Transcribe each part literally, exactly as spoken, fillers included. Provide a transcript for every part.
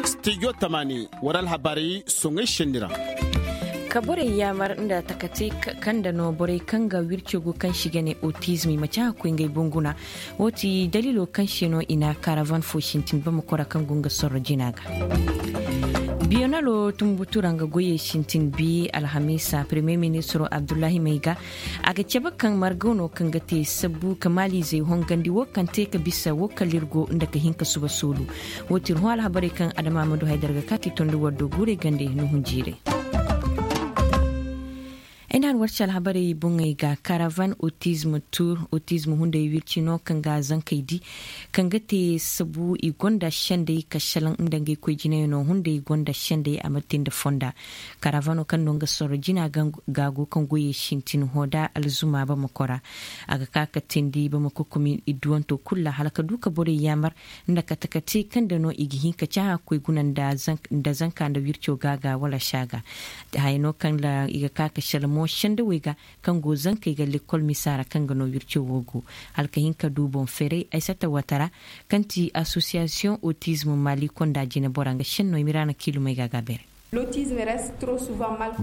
Studio tamani, wara alhabarey soŋay senni ra. Ka borey yaamar nda takati kaŋ da no borey kaŋ ga wirco go kaŋ se i ga ne autisme i ma ci a ga koy ngey bunguna. Wo ti daliilo kaŋ se no i na karavan fo sintin bamako ra kaŋ go nga sorro jina ga. Biyonalo tumbutu ra nga goyey sintin bi alhamiisa premier ministro abdullahi mayga. A ga cabe kaŋ margo no kaŋ ga te sabbu ka maaliizey hongandi wo kaŋ te ka bisa wo kala iri go nda ka hin ka suba soolu. Wo ti iri hõ alhabarey kaŋ adama ma du haydara ga kaati tondi wardo guurey gande nuhun jiirey. Ay na hari warci alhabarey boŋey ga karavan autisme tour autisme hunday wirci no kaŋ ga zankey di kaŋ ga te sabu i gonda sendey ka salaŋ nda ngey koy jinayano hunday gonda sendey a ma te nda fonda. Karavano kaŋ no nga sorro jina ga go kaŋ goyey sintin hoda alzuma bamako ra. A ga ka ka tindi bamako komin idduwanto kulu ra hala ka du ka borey yaamar nda kate-kate kaŋ da no i ga hin ka cahã koy guna nda zanka nda wirco ga ga wala saaga. Haya no kaŋ ra i ga ka ka sala mo sendawey ga kaŋ go zankey ga lekkol misa ra kaŋ ga no wirco wo go. Hala ka hin ka du boŋ feeray aysata watara kaŋ ti asosiyasiyoŋ autisme mali konda jine bora nga senno i ma ira na kiilumey ga ga beeray.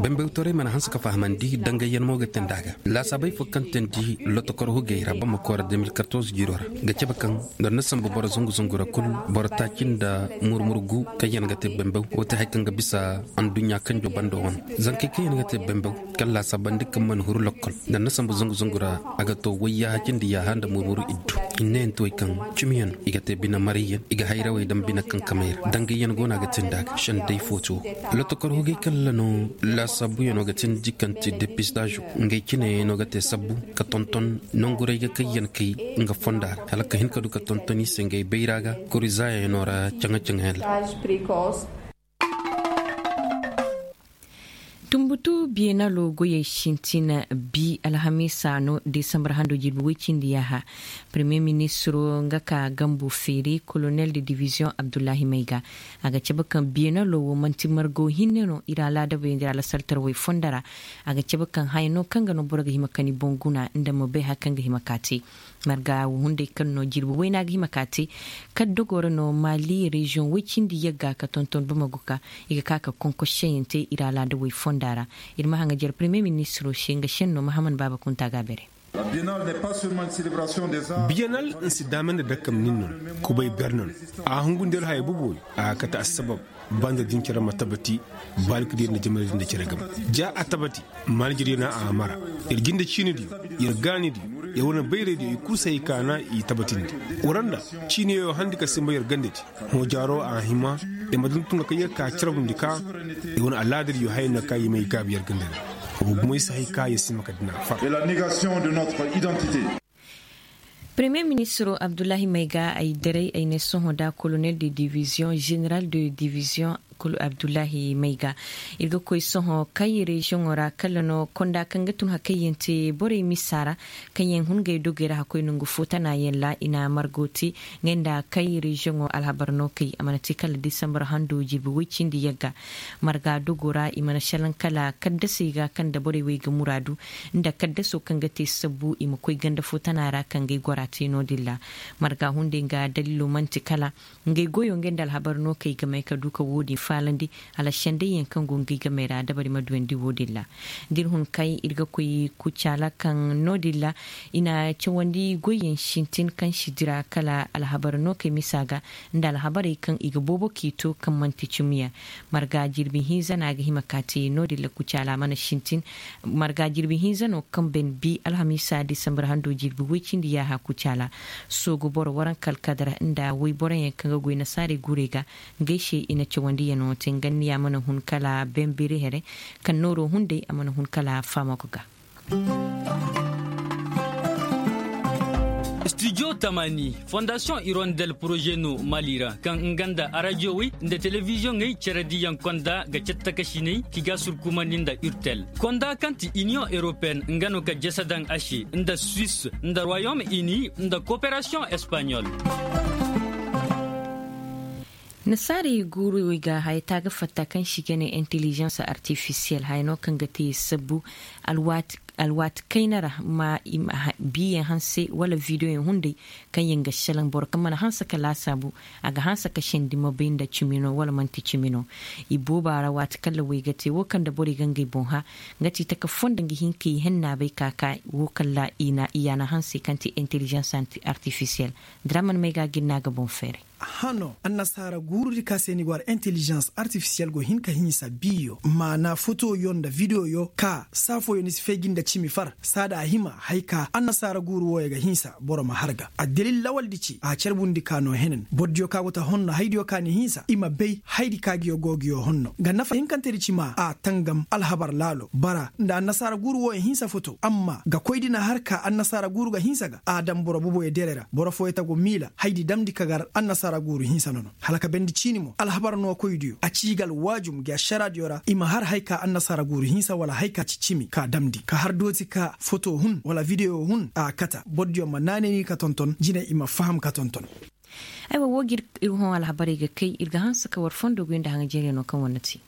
Bambewtaray mana hanse ka fahamandi dangayyaŋ mo ga te nd'a ga laasaabey fo kaŋ teendi lotokor hugey ra bamako ra deux mille quatorze jiiro ra ga cabe kaŋ nda na sambu boro zangu zangu ra kulu boro taaci nda murmur gu kaŋ yaŋ ga te bambew wo te hari kaŋ ga bisa anduɲɲa kanjo bando wane zankey kaŋ yaŋ ga te bambew kaŋ laasaabandi kaŋ mana huru lokkol nda na sambu zangu zangu ra a ga to wayyaha cindi yaaha nda murmur iddu. Hinne yaŋ te way kaŋ cimi yaŋ i ga te bine maray yaŋ i ga hayrawey daŋ bine kaŋ kamay ra dangay yaŋ go no a ga te nd'a ga sendey footo. Lotokor hugey kala no laasaabuyaŋo ga teendi kaŋ te depistazo ngey cine no ga te sabbu ka tonton nanguray ga kay yaŋ kay nga fonda ra hala ka hin ka du ka tonton i se ngey bayra ga korizayaŋo ra caŋa-caŋa yaŋ ra. Tumbutu biyenalo goyey sintina bi alhamiisa no desambar hando jirbi woy cindi yaaha. Premier ministro nga ka gambu feeri kolonel de division abdullahi mayga. A ga cabe kaŋ biyenalo wo manti margo hinne no iri alaadabey nda iri alasaltarawey fonda ra. A ga cabe kaŋ haya no kaŋ ga no boro ga hima kani boŋ guna nda ma bay hari kaŋ ga hima ka te. Marga wo hunday kaŋ no jirbi wayna ga hima ka te. Kala dogo ra no mali reziyoŋ way cindi yagga ka tonton bamaguka. I ga ka ka konkosi seyaŋ te iri alaada way fonda ra. Iri ma haŋajer premier ministiro se nga senno mahaman baaba kunta ga bere. Biyanal nsi daama nda dakkam nin no. Kubay bernan a hungu nda iri haya bobo. A ga kate assabab. Banda din care ma tabati. Balki din nda jamana din nda care gam ja a tabati. Manajir yana a mara. Iri jinde ciini din iri gaani din iri wane bayray din iri kulu se hay kaana iri tabatindi. Waranda ciini yaŋ handi ka simba iri gande din. Hõ jaaro a hima. Iri ma dun tunga ka iri ka carbundi ka iri wane alaada din iri hayey no ka iri may gaabi iri gande din. Wo bumey se hay ka iri sima ka dina far. Premier ministro abdullahi mayga ay daray ay ne sohõ da kolonel de division general de division kulu abdullahi mayga. Iri ga koy sohõ kay reziyoŋo ra kala no konda kaŋ ga tun hakayyaŋ te borey misa ra. Kaŋ yaŋ hun gay dogey ra hakkoy nangu fo tana yaŋ ra i na margo te. Ngey nda kay reziyoŋo alhabar no kay a mana te kala disambar hando jirbi way cindi yagga. Marga dogo ra i mana salaŋ kala kaddasey ga kaŋ da borey wey ga muraadu nda kaddaso kaŋ ga te sabbu i ma koy ganda fo tana ra kaŋ ga ay gora te no- din ra. Marga hunday nga daliilo manti kala ngey goyo ngey nda alhabar no kay ga may ka du ka wo- din faalandi. Hala sendayyaŋ kaŋ go ngey ga may ra dabari ma duwandi wo- din ra. Da iri hun kay iri ga koy kucaala kaŋ no- din ra i na cawandi goyyaŋ sintin kaŋ si dira kala alhabar no kay misa ga nda alhabarey kaŋ i ga boobo k'i to kaŋ manti cimiyaŋ. Marga jirbi hinza no a ga hima ka te no- din ra kucaala mana sintin. Marga jirbi hinza no kaŋ ben bi alhamiisa disambar hando jirbi way cindi yaaha kucaala. Soogu boro waranka alkadara nda wayboroyaŋ kaŋ ga goy nasaarey guurey ga ngey se i na cawandiyaŋo te nganniya mana hun kala ben biri here. Kaŋ nooro hunday a mana hun kala faamago ga. Studio tamani fondation hirondel projet no mali ra kaŋ nga nda arajiyowey nda telebiziyoŋey care diyaŋ konda ga catta kasiney ki ga surkumandi nda urtel konda kaŋ ti union européenne nga no ga jasa daŋ a se nda suisse nda royaume uni nda coopération espagnole. Nasaarey guuru i ga haya taaga fatta kaŋ se i ga ne intelligence artificielle haya no kaŋ ga te sabbu alwaati alwaati kayna ra ma i ma biiyaŋ hanse wala videoyaŋ hunday kaŋ yaŋ ga salaŋ boro kaŋ mana hanse ka laasaabu, a ga hanse ka sendi ma bay nda cimi no wala manti cimi no. I booba ra waati kaŋ ra way ga te wo kaŋ nda borey ga ngey boŋ hã, nga ti taka fo nda nga hin ka i henna bay ka ka wo kaŋ ra i yaana hanse kaŋ ti intelligence artificielle. Diraman may ga gin no a ga boŋ feeray. Hano annasaara guuru di ka se ni go ara intelligence artificielle go hin ka hinsa biyo maana fotoyo nda videoyo ka saafooyo ni si feeji nda cimi far saada a hima hari ka annasaara guuru wooyo ga hinsa boro ma har ga addalil lawal di ci a carbundi ka no henen boro diyo ka go ta honno hari diyo ka ni hinsa i ma bay hari di ka giyo go giyo honno ga nafa hinkante di ci ma a tangam alhabar laalo bara nda annasaara guuru wooyo hinsa foto amma ga koy di na har ka annasaara guuru ga hinsa ga a daŋ boro boboyo dere ra boro fooyo ta go miila hari di damndi ka gar annasaara guuru hinsa no no hala ka bendi ciini mo alhabar no koydiyo a ci i ga alwaajum gi ašaraadiyo ra i ma har hari ka annasaara guuru hinsa wala hari ka ci cimi ka damndi ka har dooti ka foto hun wala videyo hun a kata borodiyo ma naanay ni ka tonton jine i ma faham ka tonton. Aywa wo ga iri hõ alhabarey ga kay iri ga hanse ka war fondo goy nda haŋajeeriyo no kaŋ war na te.